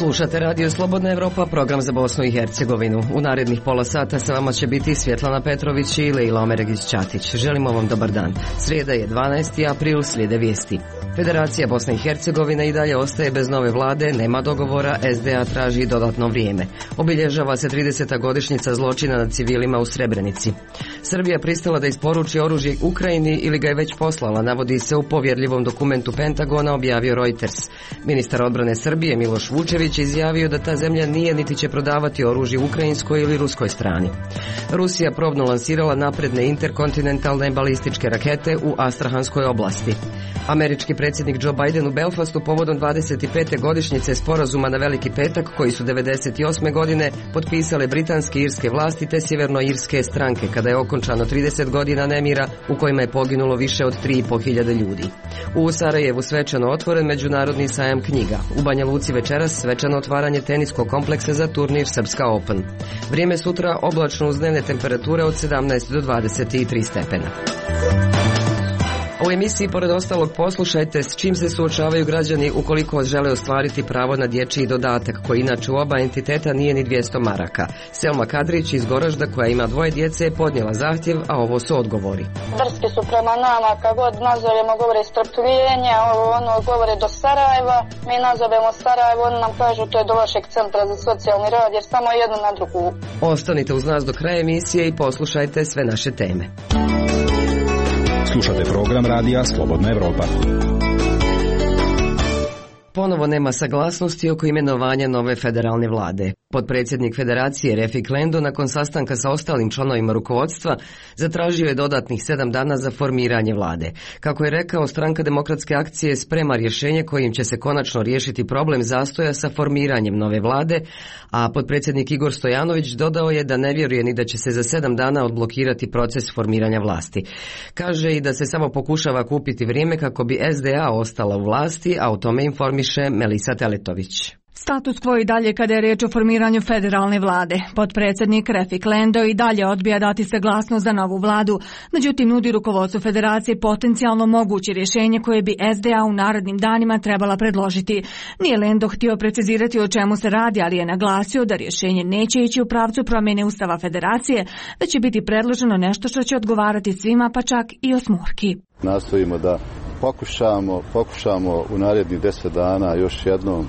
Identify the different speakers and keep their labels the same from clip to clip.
Speaker 1: Slušate Radio Slobodna Evropa, program za Bosnu i Hercegovinu. U narednih pola sata sa vama će biti Svjetlana Petrović i Leila Omeregić-Ćatić. Želimo vam dobar dan. Srijeda je 12. april, slijede vijesti. Federacija Bosne i Hercegovine i dalje ostaje bez nove vlade, nema dogovora, SDA traži dodatno vrijeme. Obilježava se 30. godišnjica zločina nad civilima u Srebrenici. Srbija pristala da isporuči oružje Ukrajini ili ga je već poslala, navodi se u povjerljivom dokumentu Pentagona, objavio Reuters. Ministar odbrane Srbije Miloš Vučević izjavio da ta zemlja nije niti će prodavati oružje ukrajinskoj ili ruskoj strani. Rusija probno lansirala napredne interkontinentalne balističke rakete u Astrahanskoj oblasti. Američki predsjednik Joe Biden u Belfastu povodom 25. godišnjice sporazuma na Veliki petak, koji su 98. godine potpisale britanske i irske vlasti te sjevernoirske stranke, kada je okončano 30 godina nemira u kojima je poginulo više od 3.500 ljudi. U Sarajevu svečano otvoren međunarodni sajam knjiga. U Banja Luci večeras svečano otvaranje teniskog kompleksa za turnir Srpska Open. Vrijeme sutra oblačno uz dnevne temperature od 17 do 23 stepena. U emisiji pored ostalog poslušajte s čim se suočavaju građani ukoliko žele ostvariti pravo na dječji dodatak, koji inače u oba entiteta nije ni 200 maraka. Selma Kadrić iz Goražda, koja ima 2 djece, je podnijela zahtjev, a ovo su odgovori.
Speaker 2: Drski su prema nama, kad god nazovemo govore strpljenja, govore do Sarajeva, mi nazovemo Sarajevo, oni nam kažu to je do vašeg centra za socijalni rad, jer samo jedno na drugu.
Speaker 1: Ostanite uz nas do kraja emisije i poslušajte sve naše teme.
Speaker 3: Slušate program radija Slobodna Evropa.
Speaker 1: Ponovo nema saglasnosti oko imenovanja nove federalne vlade. Potpredsjednik Federacije Refik Lendo nakon sastanka sa ostalim članovima rukovodstva zatražio je dodatnih 7 dana za formiranje vlade. Kako je rekao, Stranka demokratske akcije sprema rješenje kojim će se konačno riješiti problem zastoja sa formiranjem nove vlade, a potpredsjednik Igor Stojanović dodao je da ne vjeruje ni da će se za 7 dana odblokirati proces formiranja vlasti. Kaže i da se samo pokušava kupiti vrijeme kako bi SDA ostala u vlasti, a o tome informiše Melisa Teletović.
Speaker 4: Status quo i dalje kada je riječ o formiranju federalne vlade. Potpredsjednik Refik Lendo i dalje odbija dati saglasnost za novu vladu, međutim nudi rukovodstvu federacije potencijalno moguće rješenje koje bi SDA u narednim danima trebala predložiti. Nije Lendo htio precizirati o čemu se radi, ali je naglasio da rješenje neće ići u pravcu promjene Ustava federacije, već će biti predloženo nešto što će odgovarati svima, pa čak i osmorki.
Speaker 5: Nastojimo da pokušamo u narednih 10 dana još jednom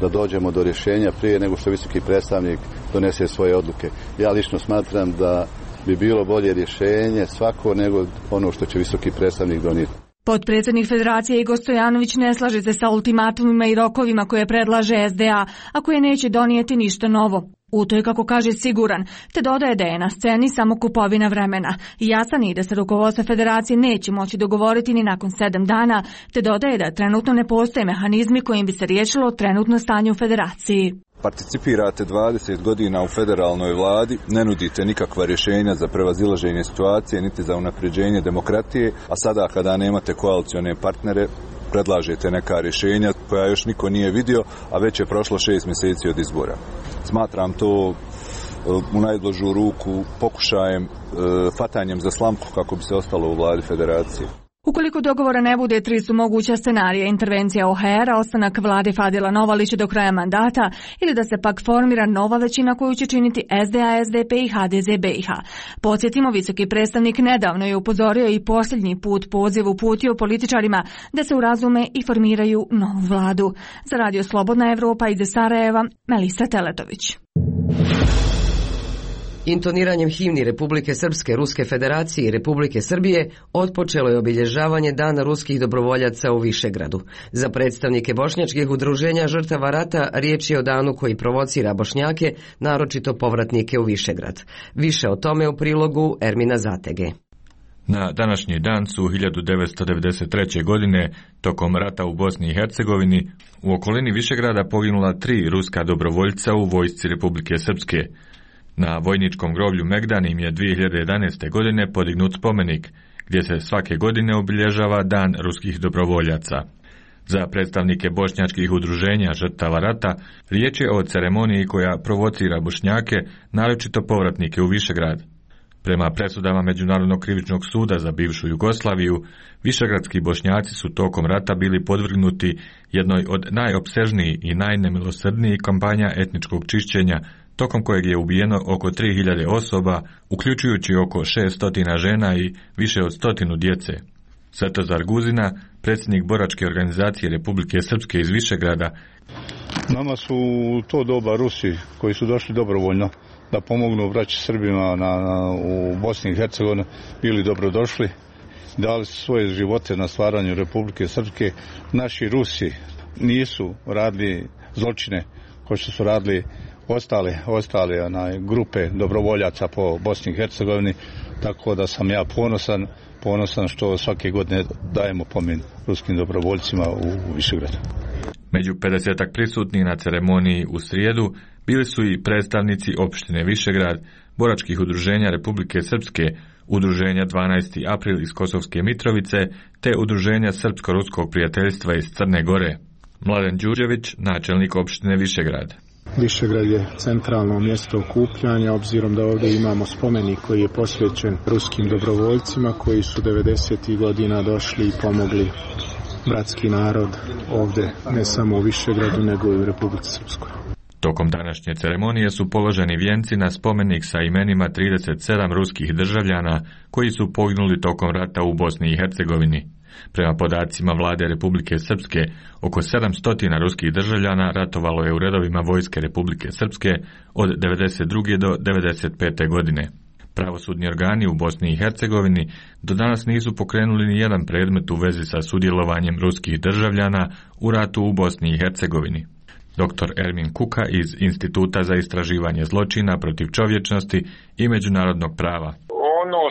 Speaker 5: da dođemo do rješenja prije nego što visoki predstavnik donese svoje odluke. Ja lično smatram da bi bilo bolje rješenje svako nego ono što će visoki predstavnik donijeti.
Speaker 4: Potpredsjednik Federacije Igor Stojanović ne slaže se sa ultimatumima i rokovima koje predlaže SDA, a koje neće donijeti ništa novo. U to je, kako kaže, siguran, te dodaje da je na sceni samo kupovina vremena. Jasan je da se rukovodstvo federacije neće moći dogovoriti ni nakon 7 dana, te dodaje da trenutno ne postoje mehanizmi kojim bi se riješilo trenutno stanje u federaciji.
Speaker 6: Participirate 20 godina u federalnoj vladi, ne nudite nikakva rješenja za prevazilaženje situacije, niti za unapređenje demokratije, a sada kada nemate koalicione partnere, predlažete neka rješenja koja još niko nije vidio, a već je prošlo 6 mjeseci od izbora. Smatram to u najblažu ruku pokušajem fatanjem za slamku kako bi se ostalo u vladi federacije.
Speaker 4: Ukoliko dogovora ne bude, 3 su moguća scenarija: intervencija OHR-a, ostanak vlade Fadila Novalića do kraja mandata ili da se pak formira nova većina koju će činiti SDA, SDP i HDZ BiH. Podsjetimo, visoki predstavnik nedavno je upozorio i posljednji put poziv uputio političarima da se urazume i formiraju novu vladu. Za Radio Slobodna Evropa iz Sarajeva, Melisa Teletović.
Speaker 1: Intoniranjem himni Republike Srpske, Ruske federacije i Republike Srbije otpočelo je obilježavanje Dana ruskih dobrovoljaca u Višegradu. Za predstavnike bošnjačkih udruženja žrtava rata riječ je o danu koji provocira Bošnjake, naročito povratnike u Višegrad. Više o tome u prilogu Ermina Zatege.
Speaker 7: Na današnji dan su 1993. godine, tokom rata u Bosni i Hercegovini, u okolini Višegrada poginula 3 ruska dobrovoljca u vojsci Republike Srpske. Na vojničkom groblju Megdan im je 2011. godine podignut spomenik, gdje se svake godine obilježava Dan ruskih dobrovoljaca. Za predstavnike bošnjačkih udruženja žrtava rata riječ je o ceremoniji koja provocira Bošnjake, naročito povratnike u Višegrad. Prema presudama Međunarodnog krivičnog suda za bivšu Jugoslaviju, višegradski Bošnjaci su tokom rata bili podvrgnuti jednoj od najopsežnijih i najnemilosrdnijih kampanja etničkog čišćenja, tokom kojeg je ubijeno oko 3000 osoba, uključujući oko 600 žena i više od 100 djece. Svetozar Guzina, predsjednik boračke organizacije Republike Srpske iz Višegrada.
Speaker 8: Nama su to doba Rusi koji su došli dobrovoljno da pomognu braći Srbima u Bosni i Hercegovini, bili dobrodošli, dali su svoje živote na stvaranju Republike Srpske. Naši Rusi nisu radili zločine kao što su radili ostale grupe dobrovoljaca po Bosni i Hercegovini, tako da sam ja ponosan što svake godine dajemo pomen ruskim dobrovoljcima u Višegradu.
Speaker 7: Među 50-ak prisutnih na ceremoniji u srijedu bili su i predstavnici opštine Višegrad, boračkih udruženja Republike Srpske, udruženja 12. april iz Kosovske Mitrovice, te udruženja Srpsko-ruskog prijateljstva iz Crne Gore. Mladen Đurđević, načelnik opštine Višegrad.
Speaker 9: Višegrad je centralno mjesto okupljanja, obzirom da ovdje imamo spomenik koji je posvećen ruskim dobrovoljcima koji su 90. godina došli i pomogli bratski narod ovdje, ne samo u Višegradu, nego i u Republici Srpskoj.
Speaker 7: Tokom današnje ceremonije su položeni vijenci na spomenik sa imenima 37 ruskih državljana koji su poginuli tokom rata u Bosni i Hercegovini. Prema podacima vlade Republike Srpske, oko 700 ruskih državljana ratovalo je u redovima vojske Republike Srpske od 92. do 95. godine. Pravosudni organi u Bosni i Hercegovini do danas nisu pokrenuli ni jedan predmet u vezi sa sudjelovanjem ruskih državljana u ratu u Bosni i Hercegovini. Dr. Ermin Kuka iz Instituta za istraživanje zločina protiv čovječnosti i međunarodnog prava.
Speaker 10: Ono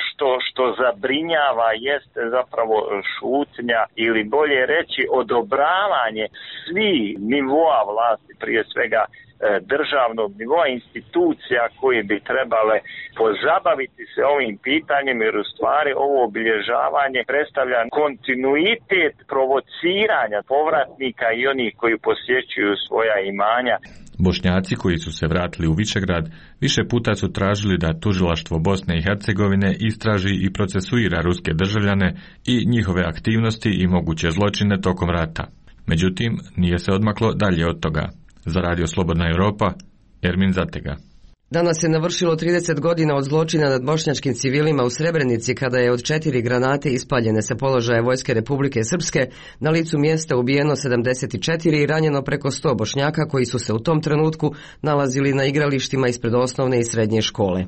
Speaker 10: što zabrinjava jeste zapravo šutnja ili bolje reći odobravanje svih nivoa vlasti, prije svega državnog nivoa, institucija koje bi trebale pozabaviti se ovim pitanjem, jer u stvari ovo obilježavanje predstavlja kontinuitet provociranja povratnika i onih koji posjećuju svoja imanja.
Speaker 7: Bošnjaci koji su se vratili u Višegrad više puta su tražili da tužilaštvo Bosne i Hercegovine istraži i procesuira ruske državljane i njihove aktivnosti i moguće zločine tokom rata. Međutim, nije se odmaklo dalje od toga. Za Radio Slobodna Europa, Ermin Zatega.
Speaker 1: Danas je navršilo 30 godina od zločina nad bošnjačkim civilima u Srebrenici kada je od 4 granate ispaljene sa položaja Vojske Republike Srpske na licu mjesta ubijeno 74 i ranjeno preko 100 Bošnjaka koji su se u tom trenutku nalazili na igralištima ispred osnovne i srednje škole.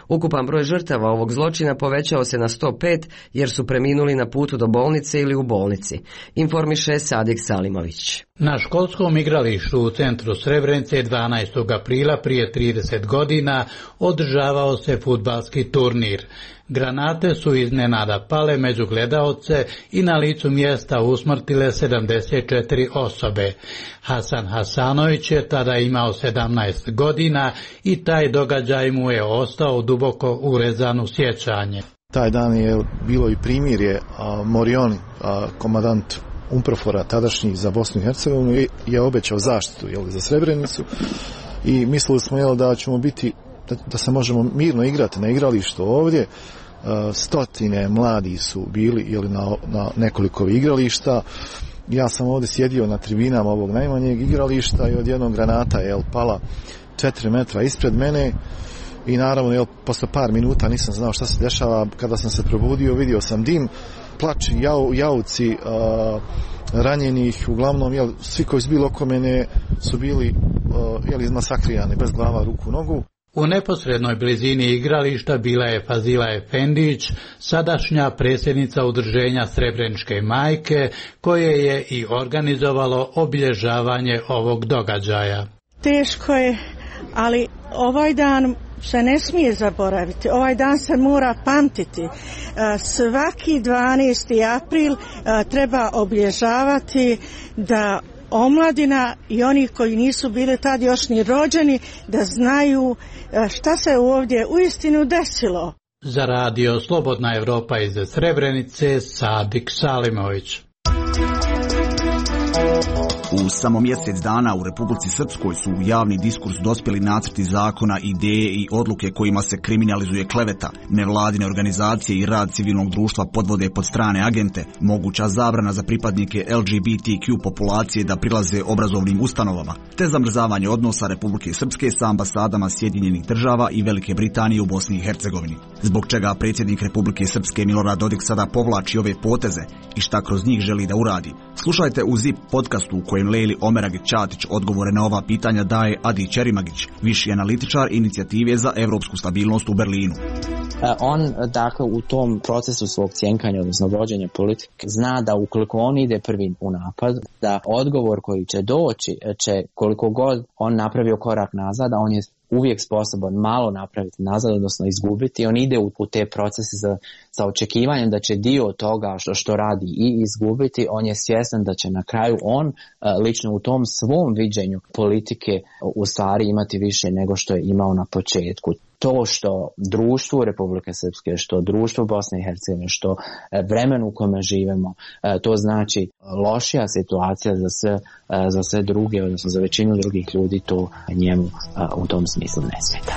Speaker 1: Ukupan broj žrtava ovog zločina povećao se na 105 jer su preminuli na putu do bolnice ili u bolnici, informiše Sadik Salimović.
Speaker 11: Na školskom igralištu u centru Srebrenice 12. aprila prije 30 godina održavao se fudbalski turnir. Granate su iznenada pale među gledaoce i na licu mjesta usmrtile 74 osobe. Hasan Hasanović je tada imao 17 godina i taj događaj mu je ostao duboko urezan u sjećanje.
Speaker 9: Taj dan je bilo i primirje. Morioni, komandant UNPROFOR-a tadašnjih za Bosnu i Hercegovinu, je obećao zaštitu za Srebrenicu i mislili smo da ćemo biti, da se možemo mirno igrati na igralištu ovdje. Stotine mladi su bili na nekoliko igrališta. Ja sam ovdje sjedio na tribinama ovog najmanjeg igrališta i odjednom granata je pala 4 metra ispred mene i naravno posle par minuta nisam znao šta se dešava. Kada sam se probudio vidio sam dim, plač, jauci ranjenih, uglavnom svi koji su bili oko mene su bili izmasakrirani bez glava, ruku, nogu.
Speaker 11: U neposrednoj blizini igrališta bila je Fazila Efendić, sadašnja predsjednica udruženja Srebreničke majke, koje je i organizovalo obilježavanje ovog događaja.
Speaker 12: Teško je, ali ovaj dan se ne smije zaboraviti. Ovaj dan se mora pamtiti. Svaki 12. april treba obilježavati da omladina i oni koji nisu bili tad još ni rođeni da znaju šta se ovdje uistinu desilo.
Speaker 11: Za Radio Slobodna Europa iz Srebrenice, Sadik Salimović.
Speaker 13: U samo mjesec dana u Republici Srpskoj su u javni diskurs dospjeli nacrti zakona, ideje i odluke kojima se kriminalizuje kleveta, nevladine organizacije i rad civilnog društva podvode pod strane agente, moguća zabrana za pripadnike LGBTQ populacije da prilaze obrazovnim ustanovama, te zamrzavanje odnosa Republike Srpske sa ambasadama Sjedinjenih Država i Velike Britanije u Bosni i Hercegovini. Zbog čega predsjednik Republike Srpske Milorad Dodik sada povlači ove poteze i šta kroz njih želi da uradi. Slušajte u ZIP podcastu u kojem Lejli Omeragić-Ćatić odgovore na ova pitanja daje Adi Ćerimagić, viši analitičar inicijative za evropsku stabilnost u Berlinu.
Speaker 14: On, dakle, u tom procesu svog cjenkanja, odnosno vođenja politike, zna da ukoliko on ide prvi u napad, da odgovor koji će doći će, koliko god on napravio korak nazad, a on je uvijek sposoban malo napraviti nazad, odnosno izgubiti. On ide u te procese sa očekivanjem da će dio toga što radi i izgubiti. On je svjestan da će na kraju on lično u tom svom viđenju politike u stvari imati više nego što je imao na početku. To što društvo Republike Srpske, što društvo Bosne i Hercegovine, što vremenu u kome živimo, to znači lošija situacija za sve druge, odnosno za većinu drugih ljudi, to njemu u tom smislu ne smeta.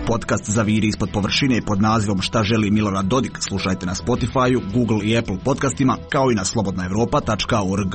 Speaker 13: Podcast Zaviri ispod površine pod nazivom Šta želi Milorad Dodik slušajte na Spotify, Google i Apple podcastima, kao i na slobodnaevropa.org.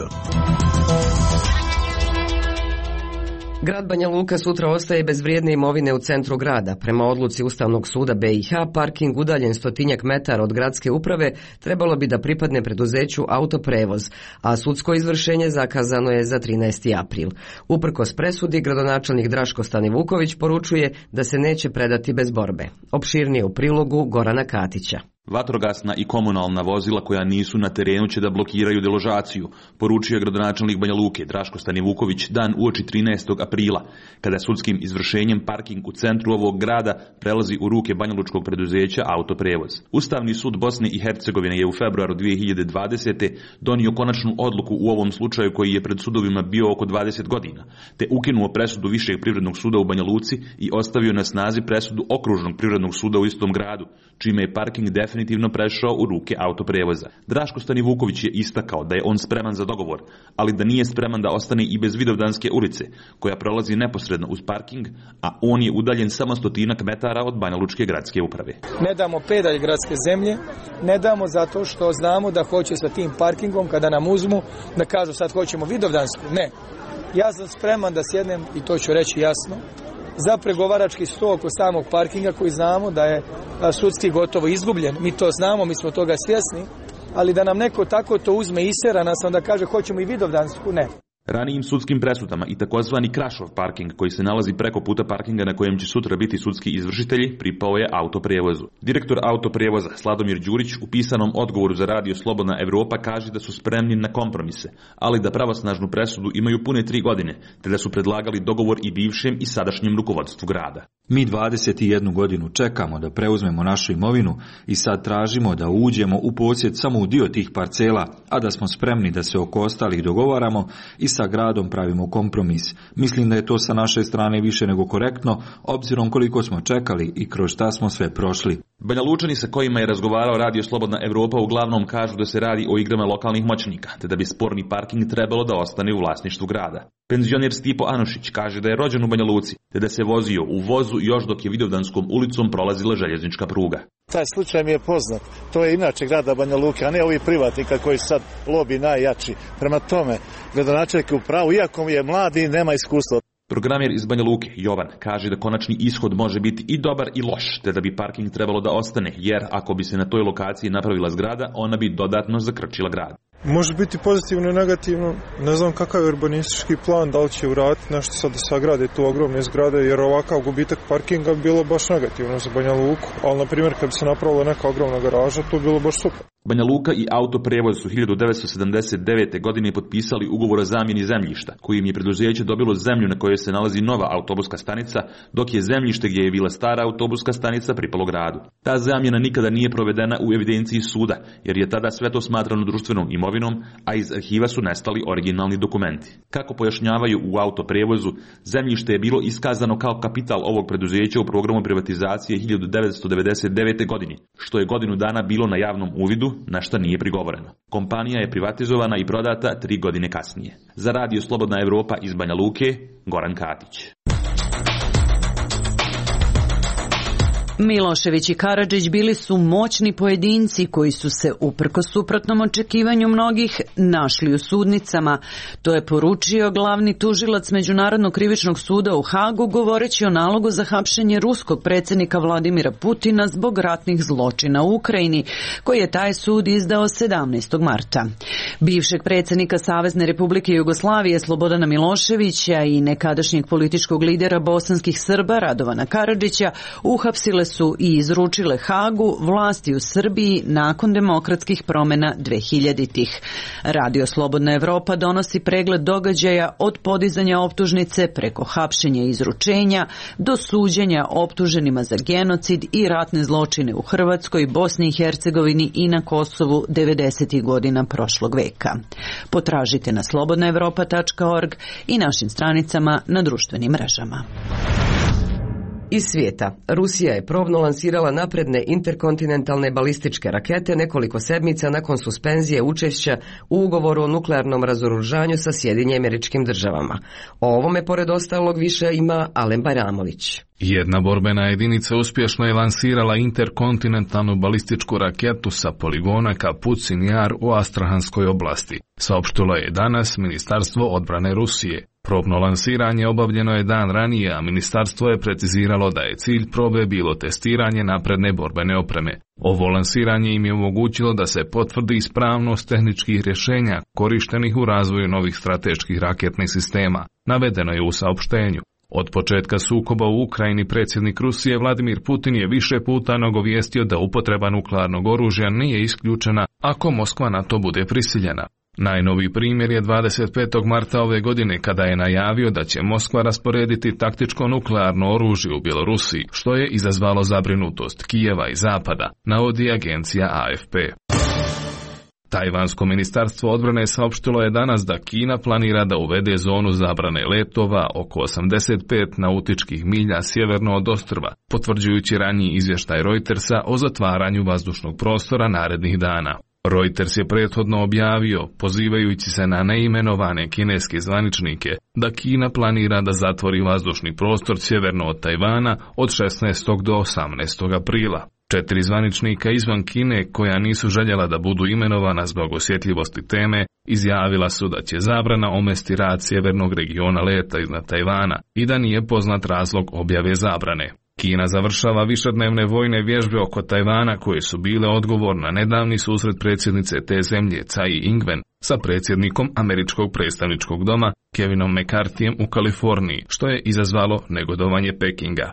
Speaker 1: Grad Banja Luka sutra ostaje bez vrijedne imovine u centru grada. Prema odluci Ustavnog suda BiH, parking udaljen 100 metara od gradske uprave trebalo bi da pripadne preduzeću Autoprevoz, a sudsko izvršenje zakazano je za 13. april. Uprkos presudi, gradonačelnik Draško Stanivuković poručuje da se neće predati bez borbe. Opširnije u prilogu Gorana Katića.
Speaker 15: Vatrogasna i komunalna vozila koja nisu na terenu će da blokiraju deložaciju, poručio je gradonačelnik Banja Luke Draško Stanivuković dan uoči 13. aprila, kada sudskim izvršenjem parking u centru ovog grada prelazi u ruke banjalučkog preduzeća Autoprevoz. Ustavni sud Bosne i Hercegovine je u februaru 2020. donio konačnu odluku u ovom slučaju koji je pred sudovima bio oko 20 godina, te ukinuo presudu Višeg privrednog suda u Banja Luci i ostavio na snazi presudu Okružnog privrednog suda u istom gradu, čime je parking definitivno prešao u ruke Autoprevoza. Draško Stanivuković je istakao da je on spreman za dogovor, ali da nije spreman da ostane i bez Vidovdanske ulice, koja prolazi neposredno uz parking, a on je udaljen samo 100 metara od Banjalučke gradske uprave.
Speaker 16: Ne damo pedalj gradske zemlje, ne damo zato što znamo da hoće sa tim parkingom, kada nam uzmu, da kažu sad hoćemo Vidovdansku. Ne. Ja sam spreman da sjednem, i to ću reći jasno, za pregovarački sto oko samog parkinga koji znamo da je sudski gotovo izgubljen. Mi to znamo, mi smo toga svjesni, ali da nam neko tako to uzme i isera nas, onda kaže hoćemo i Vidovdansku, ne.
Speaker 15: Ranijim sudskim presudama i takozvani Krašov parking koji se nalazi preko puta parkinga na kojem će sutra biti sudski izvršitelji pripao je Autoprevozu. Direktor Autoprevoza Sladomir Đurić u pisanom odgovoru za radio Slobodna Evropa kaže da su spremni na kompromise, ali da pravosnažnu presudu imaju pune 3 godine, te da su predlagali dogovor i bivšem i sadašnjem rukovodstvu grada.
Speaker 7: Mi 21 godinu čekamo da preuzmemo našu imovinu i sad tražimo da uđemo u posjed samo u dio tih parcela, a da smo spremni da se oko ostalih dogovaramo i sa gradom pravimo kompromis. Mislim da je to sa naše strane više nego korektno, obzirom koliko smo čekali i kroz šta smo sve prošli.
Speaker 15: Banja Lučani sa kojima je razgovarao radio Slobodna Evropa uglavnom kažu da se radi o igrama lokalnih moćnika, te da bi sporni parking trebalo da ostane u vlasništvu grada. Penzioner Stipo Anušić kaže da je rođen u Banja Luci, te da se vozio u vozu još dok je Vidovdanskom ulicom prolazila željeznička pruga.
Speaker 9: Taj slučaj mi je poznat. To je inače grada Banja Luke, a ne ovi privatnika koji sad lobi najjači. Prema tome, gradonačelnik je u pravu, iako je mladi i nema iskustva.
Speaker 15: Programer iz Banja Luke, Jovan, kaže da konačni ishod može biti i dobar i loš, te da bi parking trebalo da ostane, jer ako bi se na toj lokaciji napravila zgrada, ona bi dodatno zakrčila grad.
Speaker 17: Može biti pozitivno i negativno. Ne znam kakav je urbanistički plan, da li će uraditi nešto sad da sagrade tu ogromne zgrade, jer ovakav gubitak parkinga bi bilo baš negativno za Banja Luku. Ali, na primjer, kad bi se napravila neka ogromna garaža, to bi bilo baš super.
Speaker 15: Banja Luka i Autoprevoz su 1979. godine potpisali ugovor o zamjeni zemljišta, kojim je preduzeće dobilo zemlju na kojoj se nalazi nova autobuska stanica, dok je zemljište gdje je bila stara autobuska stanica pripalo gradu. Ta zamjena nikada nije provedena u evidenciji suda, jer je tada sve to smatrano društvenom imovinom imovinom, a iz arhiva su nestali originalni dokumenti. Kako pojašnjavaju u autoprevozu, zemljište je bilo iskazano kao kapital ovog preduzeća u programu privatizacije 1999. godini, što je godinu dana bilo na javnom uvidu, na šta nije prigovoreno. Kompanija je privatizovana i prodata 3 godine kasnije. Za Radio Slobodna Evropa iz Banja Luke, Goran Katić.
Speaker 18: Milošević i Karadžić bili su moćni pojedinci koji su se, uprkos suprotnom očekivanju mnogih, našli u sudnicama. To je poručio glavni tužilac Međunarodnog krivičnog suda u Hagu, govoreći o nalogu za hapšenje ruskog predsjednika Vladimira Putina zbog ratnih zločina u Ukrajini, koji je taj sud izdao 17. marta. Bivšeg predsjednika Savezne Republike Jugoslavije Slobodana Miloševića i nekadašnjeg političkog lidera bosanskih Srba Radovana Karadžića uhapsile su i izručile Hagu vlasti u Srbiji nakon demokratskih promjena 2000-ih. Radio Slobodna Evropa donosi pregled događaja od podizanja optužnice preko hapšenja i izručenja do suđenja optuženima za genocid i ratne zločine u Hrvatskoj, Bosni i Hercegovini i na Kosovu 90. godina prošlog veka. Potražite na slobodnaevropa.org i našim stranicama na društvenim mrežama.
Speaker 1: Iz svijeta, Rusija je probno lansirala napredne interkontinentalne balističke rakete nekoliko sedmica nakon suspenzije učešća u ugovoru o nuklearnom razoružanju sa Sjedinjenim Američkim Državama. O ovome, pored ostalog, više ima Alen Bajramović.
Speaker 19: Jedna borbena jedinica uspješno je lansirala interkontinentalnu balističku raketu sa poligona Kapucin Jar u Astrahanskoj oblasti, saopštilo je danas Ministarstvo odbrane Rusije. Probno lansiranje obavljeno je dan ranije, a ministarstvo je preciziralo da je cilj probe bilo testiranje napredne borbene opreme. Ovo lansiranje im je omogućilo da se potvrdi ispravnost tehničkih rješenja korištenih u razvoju novih strateških raketnih sistema, navedeno je u saopštenju. Od početka sukoba u Ukrajini predsjednik Rusije Vladimir Putin je više puta nagovijestio da upotreba nuklearnog oružja nije isključena ako Moskva na to bude prisiljena. Najnoviji primjer je 25. marta ove godine kada je najavio da će Moskva rasporediti taktičko nuklearno oružje u Bjelorusiji, što je izazvalo zabrinutost Kijeva i Zapada, navodi agencija AFP. Tajvansko ministarstvo odbrane saopštilo je danas da Kina planira da uvede zonu zabrane letova oko 85 nautičkih milja sjeverno od ostrva, potvrđujući raniji izvještaj Reutersa o zatvaranju vazdušnog prostora narednih dana. Reuters je prethodno objavio, pozivajući se na neimenovane kineske zvaničnike, da Kina planira da zatvori vazdušni prostor sjeverno od Tajvana od 16. do 18. aprila. 4 zvaničnika izvan Kine, koja nisu željela da budu imenovana zbog osjetljivosti teme, izjavila su da će zabrana omesti rad sjevernog regiona leta iznad Tajvana i da nije poznat razlog objave zabrane. Kina završava višednevne vojne vježbe oko Tajvana koje su bile odgovor na nedavni susret predsjednice te zemlje Tsai Ing-wen sa predsjednikom Američkog predstavničkog doma Kevinom McCarthyjem u Kaliforniji, što je izazvalo negodovanje Pekinga.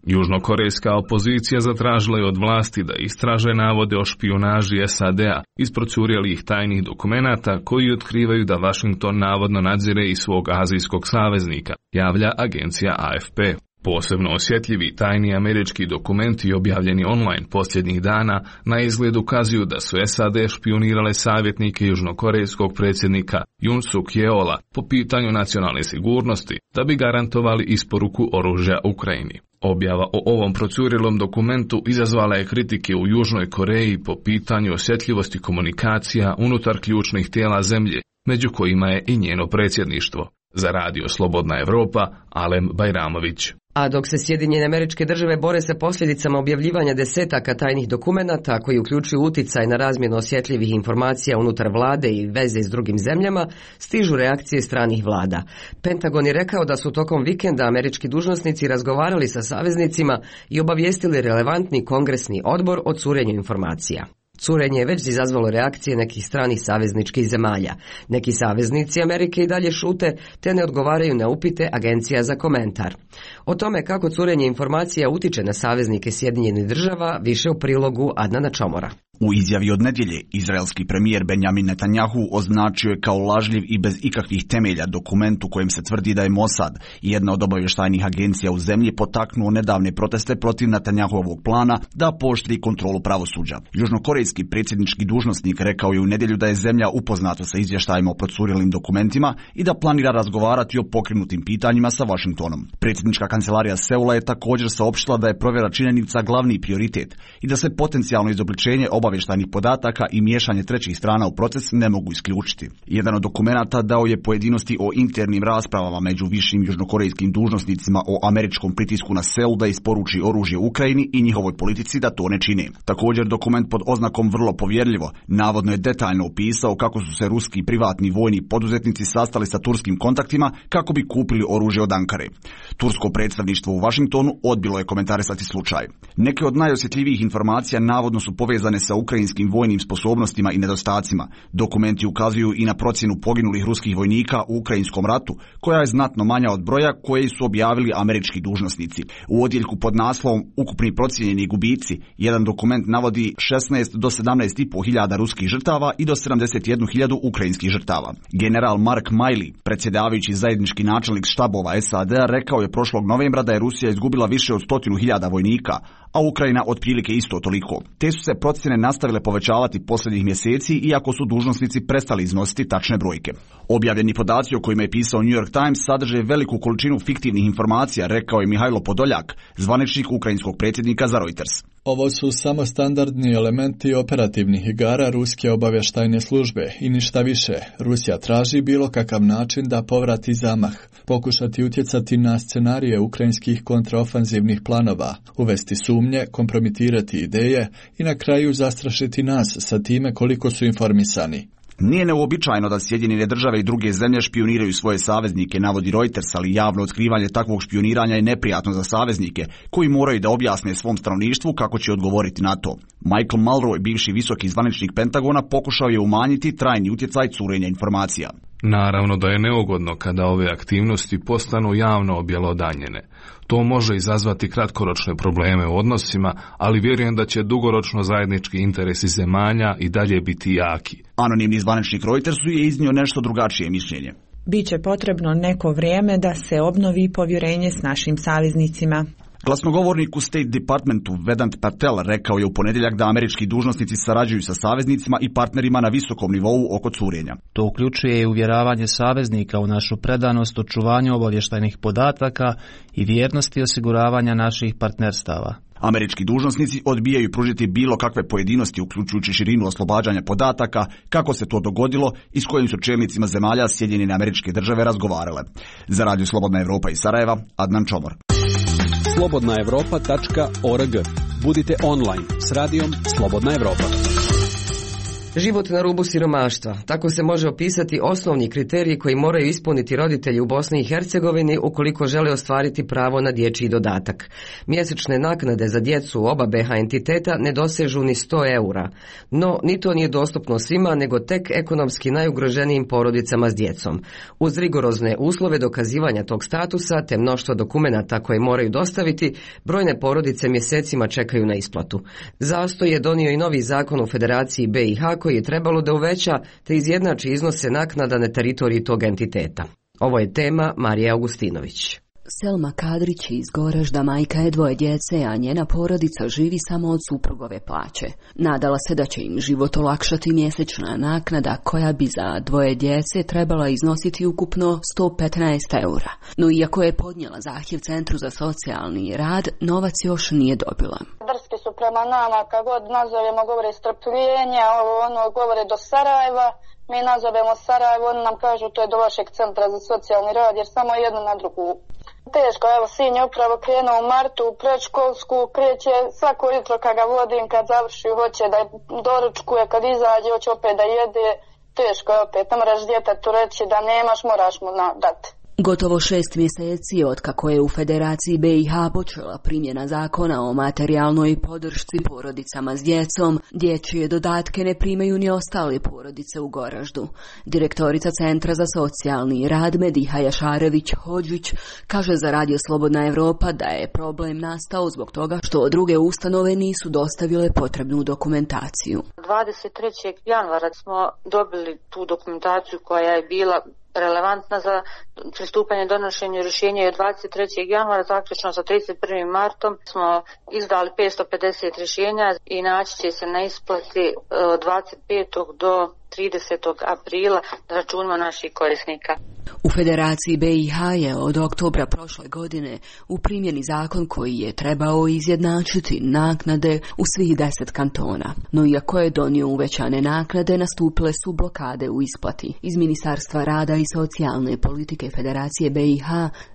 Speaker 19: Južnokorejska opozicija zatražila je od vlasti da istraže navode o špijunaži SAD-a iz procurjelih tajnih dokumenata koji otkrivaju da Washington navodno nadzire i svog azijskog saveznika, javlja agencija AFP. Posebno osjetljivi tajni američki dokumenti objavljeni online posljednjih dana na izgled ukazuju da su SAD špijunirale savjetnike južnokorejskog predsjednika Yoon Suk Yeola po pitanju nacionalne sigurnosti da bi garantovali isporuku oružja Ukrajini. Objava o ovom procurjelom dokumentu izazvala je kritike u Južnoj Koreji po pitanju osjetljivosti komunikacija unutar ključnih tijela zemlje, među kojima je i njeno predsjedništvo. Za Radio Slobodna Evropa, Alen Bajramović.
Speaker 1: A dok se Sjedinjene Američke Države bore sa posljedicama objavljivanja desetaka tajnih dokumenata koji uključuju uticaj na razmjenu osjetljivih informacija unutar vlade i veze s drugim zemljama, stižu reakcije stranih vlada. Pentagon je rekao da su tokom vikenda američki dužnosnici razgovarali sa saveznicima i obavijestili relevantni kongresni odbor o curenju informacija. Curenje je već izazvalo reakcije nekih stranih savezničkih zemalja. Neki saveznici Amerike i dalje šute te ne odgovaraju na upite agencija za komentar. O tome kako curenje informacija utiče na saveznike Sjedinjenih Država više u prilogu Adnana Čomora.
Speaker 13: U izjavi od nedjelje, izraelski premijer Benjamin Netanjahu označio je kao lažljiv i bez ikakvih temelja dokument u kojem se tvrdi da je Mossad, jedna od obavještajnih agencija u zemlji, potaknuo nedavne proteste protiv Netanjahuovog plana da pooštri kontrolu pravosuđa. Južnokorejski predsjednički dužnosnik rekao je u nedjelju da je zemlja upoznata sa izvještajima o procurilim dokumentima i da planira razgovarati o pokrenutim pitanjima sa Washingtonom. Predsjednička kancelarija Seula je također saopštila da je provjera činjenica glavni prioritet i da se potencijalno izobličenje obavještajnih podataka i miješanje trećih strana u proces ne mogu isključiti. Jedan od dokumenata dao je pojedinosti o internim raspravama među višim južnokorejskim dužnosnicima o američkom pritisku na Seul da isporuči oružje Ukrajini i njihovoj politici da to ne čine. Također dokument pod oznakom vrlo povjerljivo navodno je detaljno opisao kako su se ruski privatni vojni poduzetnici sastali sa turskim kontaktima kako bi kupili oružje od Ankare. Tursko predstavništvo u Washingtonu odbilo je komentarisati slučaj. Neke od najosjetljivijih informacija navodno su povezane sa ukrajinskim vojnim sposobnostima i nedostacima. Dokumenti ukazuju i na procjenu poginulih ruskih vojnika u ukrajinskom ratu, koja je znatno manja od broja koje su objavili američki dužnosnici. U odjeljku pod naslovom Ukupni procijenjeni gubici, jedan dokument navodi 16 do 17,5 hiljada ruskih žrtava i do 71.000 ukrajinskih žrtava. General Mark Milley, predsjedavajući zajednički načelnik štabova SAD-a, rekao je prošlog novembra da je Rusija izgubila više od 100.000 vojnika, a Ukrajina otprilike isto toliko. Te su se procjene nastavile povećavati posljednjih mjeseci, iako su dužnosnici prestali iznositi tačne brojke. Objavljeni podaci o kojima je pisao New York Times sadrže veliku količinu fiktivnih informacija, rekao je Mihajlo Podoljak, zvaničnik ukrajinskog predsjednika za Reuters.
Speaker 20: Ovo su samo standardni elementi operativnih igara ruske obavještajne službe i ništa više. Rusija traži bilo kakav način da povrati zamah, pokušati utjecati na scenarije ukrajinskih kontraofanzivnih planova, uvesti sumnje, kompromitirati ideje i na kraju zastrašiti nas sa time koliko su informisani.
Speaker 13: Nije neuobičajeno da Sjedinjene države i druge zemlje špioniraju svoje saveznike, navodi Reuters, ali javno otkrivanje takvog špioniranja je neprijatno za saveznike, koji moraju da objasne svom stanovništvu kako će odgovoriti na to. Michael Mulroy, bivši visoki zvaničnik Pentagona, pokušao je umanjiti trajni utjecaj curenja informacija.
Speaker 19: Naravno da je neugodno kada ove aktivnosti postanu javno objelodanjene. To može izazvati kratkoročne probleme u odnosima, ali vjerujem da će dugoročno zajednički interesi zemalja i dalje biti jaki.
Speaker 13: Anonimni zvaničnik Reutersu je iznio nešto drugačije mišljenje.
Speaker 21: Biće potrebno neko vrijeme da se obnovi povjerenje s našim saveznicima.
Speaker 13: Glasnogovornik u State Departmentu Vedant Patel rekao je u ponedjeljak da američki dužnosnici sarađuju sa saveznicima i partnerima na visokom nivou oko curenja.
Speaker 22: To uključuje i uvjeravanje saveznika u našu predanost očuvanju obavještajnih podataka i vjernosti osiguravanja naših partnerstava.
Speaker 13: Američki dužnosnici odbijaju pružiti bilo kakve pojedinosti, uključujući širinu oslobađanja podataka, kako se to dogodilo i s kojim su čelnicima zemalja Sjedinjene Američke Države razgovarale. Za Radio Slobodna Evropa iz Sarajeva, Adnan Čomor.
Speaker 23: slobodnaevropa.org. Budite online s radijom Slobodna Evropa.
Speaker 1: Život na rubu siromaštva. Tako se može opisati osnovni kriteriji koji moraju ispuniti roditelji u Bosni i Hercegovini ukoliko žele ostvariti pravo na dječji dodatak. Mjesečne naknade za djecu oba BH entiteta ne dosežu ni 100 eura. No, ni to nije dostupno svima, nego tek ekonomski najugroženijim porodicama s djecom. Uz rigorozne uslove dokazivanja tog statusa te mnoštvo dokumenata koje moraju dostaviti, brojne porodice mjesecima čekaju na isplatu. Zastoj je donio i novi zakon u Federaciji BiH koji je trebalo da uveća te izjednači iznose naknada na teritoriji tog entiteta. Ovo je tema Marije Augustinović.
Speaker 24: Selma Kadrić iz Goražda majka je 2 djece, a njena porodica živi samo od suprugove plaće. Nadala se da će im život olakšati mjesečna naknada koja bi za 2 djece trebala iznositi ukupno 115 eura. No iako je podnijela zahtjev Centru za socijalni rad, novac još nije dobila.
Speaker 2: Drski su prema nama, kad god nazovemo govore strpljenja, govore do Sarajeva. Mi nazovemo Sarajevo, oni nam kažu to je do vašeg Centra za socijalni rad, jer samo jedno na drugu. Teško, evo sin je upravo krenuo u martu u predškolsku, kreće svako jutro kad ga vodim, kad završi hoće da doručkuje, kad izađe hoće opet da jede. Teško je opet, ne moraš djetetu reći da nemaš, moraš mu dati.
Speaker 24: Gotovo 6 mjeseci otkako je u Federaciji BiH počela primjena zakona o materijalnoj podršci porodicama s djecom, dječje dodatke ne primaju ni ostale porodice u Goraždu. Direktorica Centra za socijalni rad Mediha Jašarević-Hodžić kaže za Radio Slobodna Evropa da je problem nastao zbog toga što druge ustanove nisu dostavile potrebnu dokumentaciju.
Speaker 3: 23. januara smo dobili tu dokumentaciju koja je bila relevantna za pristupanje donošenju rješenja i od 23. januara zaključno sa 31. martom smo izdali 550 rješenja i naći će se na isplati od 25. do 30. aprila na računima naših korisnika.
Speaker 24: U Federaciji BiH je od oktobra prošle godine u primjeni zakon koji je trebao izjednačiti naknade u svih 10 kantona. No iako je donio uvećane naknade, nastupile su blokade u isplati. Iz Ministarstva rada i socijalne politike Federacije BiH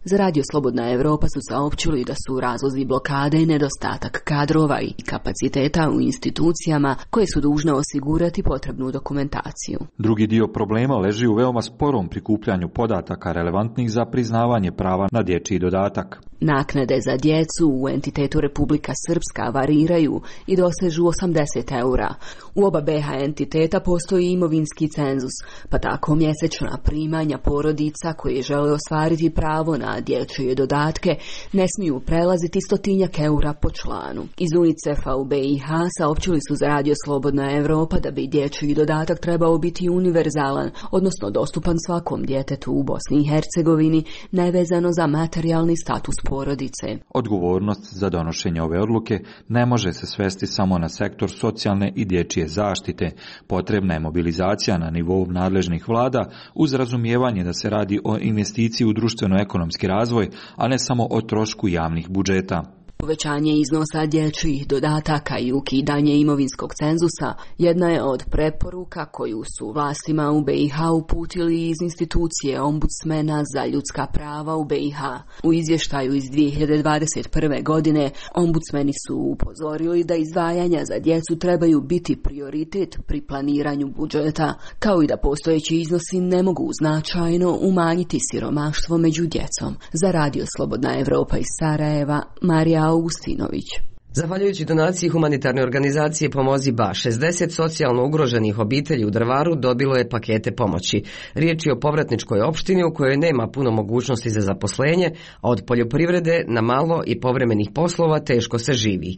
Speaker 24: za Radio Slobodna Evropa su saopćili da su razlozi blokade nedostatak kadrova i kapaciteta u institucijama koje su dužne osigurati potrebnu dokumentaciju.
Speaker 4: Drugi dio problema leži u veoma sporom prikupljanju podataka relevantnih za priznavanje prava na dječji dodatak.
Speaker 24: Naknade za djecu u entitetu Republika Srpska variraju i dosežu 80 eura. U oba BiH entiteta postoji imovinski cenzus, pa tako mjesečna primanja porodica koje žele ostvariti pravo na dječje dodatke ne smiju prelaziti 100 eura po članu. Iz UNICEF-a u BiH saopćili su za Radio Slobodna Evropa da bi dječji dodatak trebao biti univerzalan, odnosno dostupan svakom djetetu u Bosni i Hercegovini, nevezano za materijalni status porodice.
Speaker 4: Odgovornost za donošenje ove odluke ne može se svesti samo na sektor socijalne i dječje zaštite. Potrebna je mobilizacija na nivou nadležnih vlada uz razumijevanje da se radi o investiciji u društveno-ekonomski razvoj, a ne samo o trošku javnih budžeta.
Speaker 24: Povećanje iznosa dječjih dodataka i ukidanje imovinskog cenzusa jedna je od preporuka koju su vlastima u BiH uputili iz institucije ombudsmena za ljudska prava u BiH. U izvještaju iz 2021. godine ombudsmeni su upozorili da izdvajanja za djecu trebaju biti prioritet pri planiranju budžeta, kao i da postojeći iznosi ne mogu značajno umanjiti siromaštvo među djecom. Za Radio Slobodna Evropa iz Sarajeva, Marija Augustinović.
Speaker 1: Zahvaljujući donaciji humanitarne organizacije Pomozi Ba, 60 socijalno ugroženih obitelji u Drvaru dobilo je pakete pomoći. Riječ je o povratničkoj opštini u kojoj nema puno mogućnosti za zaposlenje, a od poljoprivrede na malo i povremenih poslova teško se živi.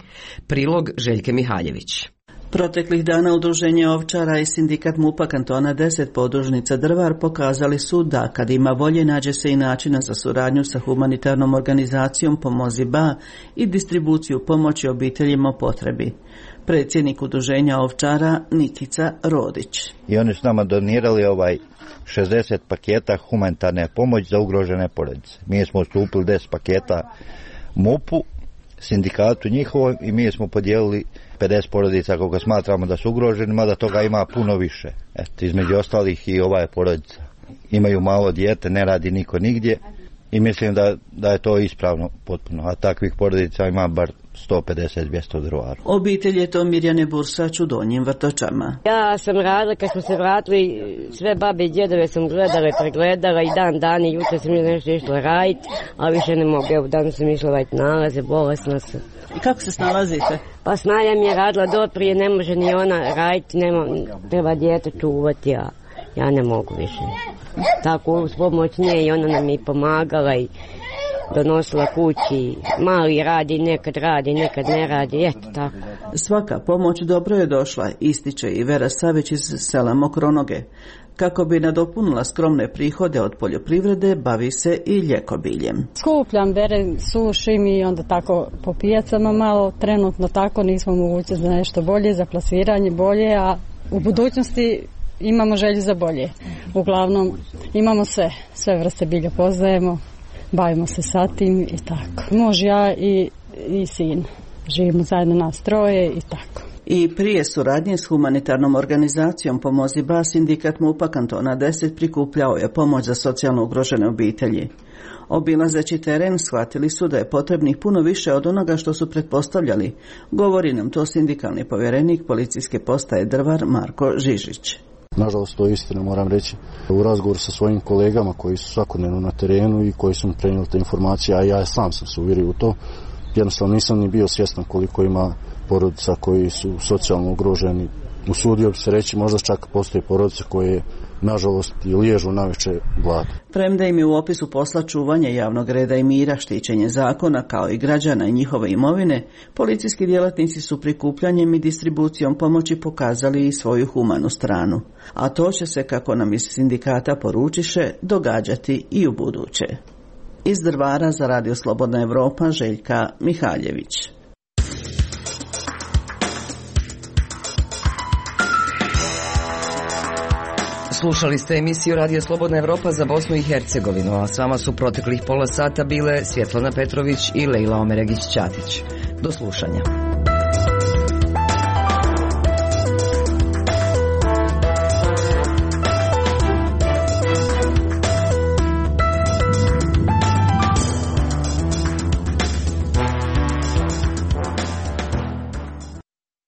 Speaker 1: Prilog Željke Mihaljević.
Speaker 5: Proteklih dana Udruženje ovčara i sindikat MUP-a kantona 10 podružnica Drvar pokazali su da kad ima volje nađe se i načina za suradnju sa humanitarnom organizacijom Pomozi Ba i distribuciju pomoći obiteljima u potrebi. Predsjednik Udruženja ovčara Nikica Rodić.
Speaker 6: I oni su nama donirali 60 paketa humanitarne pomoći za ugrožene porodice. Mi smo ustupili 10 paketa MUP-u, sindikatu njihovom, i mi smo podijelili 50 porodica koga smatramo da su ugroženi, mada toga ima puno više. Između ostalih i ova je porodica. Imaju malo dijete, ne radi niko nigdje i mislim da je to ispravno potpuno. A takvih porodica ima bar 150-200 u Drvaru.
Speaker 5: Obitelj je to Mirjane Bursač u Donjim Vrtočama.
Speaker 25: Ja sam radila, kad smo se vratili, sve babe i djedove sam gledala i pregledala i dan i jutro sam nešto išla raditi, ali više ne mogu. Evo, danas sam išla raditi nalaze, bolesna sam.
Speaker 5: I kako se snalazite?
Speaker 25: Pa Snaja mi je radila do prije, ne može ni ona raditi, treba dijete čuvati, ja ne mogu više. Tako uz pomoć nje i ona nam je pomagala i donosila kući, mali radi, nekad ne radi, eto tako.
Speaker 5: Svaka pomoć dobro je došla, ističe i Vera Savić iz sela Mokronoge. Kako bi nadopunila skromne prihode od poljoprivrede, bavi se i ljekobiljem.
Speaker 26: Skupljam, berem, sušim i onda tako po pijacama malo, trenutno tako nismo mogući za nešto bolje, za plasiranje bolje, a u budućnosti imamo želju za bolje. Uglavnom imamo sve vrste bilja poznajemo, bavimo se sa tim i tako. Muž, ja i sin živimo zajedno nas troje i tako.
Speaker 5: I prije suradnje s humanitarnom organizacijom Pomozi Ba, sindikat MUP-a kantona 10 prikupljao je pomoć za socijalno ugrožene obitelji. Obilazeći teren shvatili su da je potrebnih puno više od onoga što su pretpostavljali. Govori nam to sindikalni povjerenik policijske postaje Drvar Marko Žižić.
Speaker 8: Nažalost, to je istina, moram reći. U razgovoru sa svojim kolegama koji su svakodnevno na terenu i koji su mi prenijeli te informacije, a ja sam se uvjerio u to, jednostavno nisam ni bio svjestan koliko ima porodica koji su socijalno ugroženi. Usudio bi se reći, možda čak postoje porodice koje nažalost i liježu naveče glad.
Speaker 5: Premda im je u opisu posla čuvanje javnog reda i mira, štićenje zakona kao i građana i njihove imovine, policijski djelatnici su prikupljanjem i distribucijom pomoći pokazali i svoju humanu stranu. A to će se, kako nam iz sindikata poručiše, događati i u buduće. Iz Drvara za Radio Slobodna Evropa, Željka Mihaljević.
Speaker 1: Slušali ste emisiju Radio Slobodna Evropa za Bosnu i Hercegovinu, a s vama su proteklih pola sata bile Svjetlana Petrović i Lejla Omeregić-Ćatić. Do slušanja.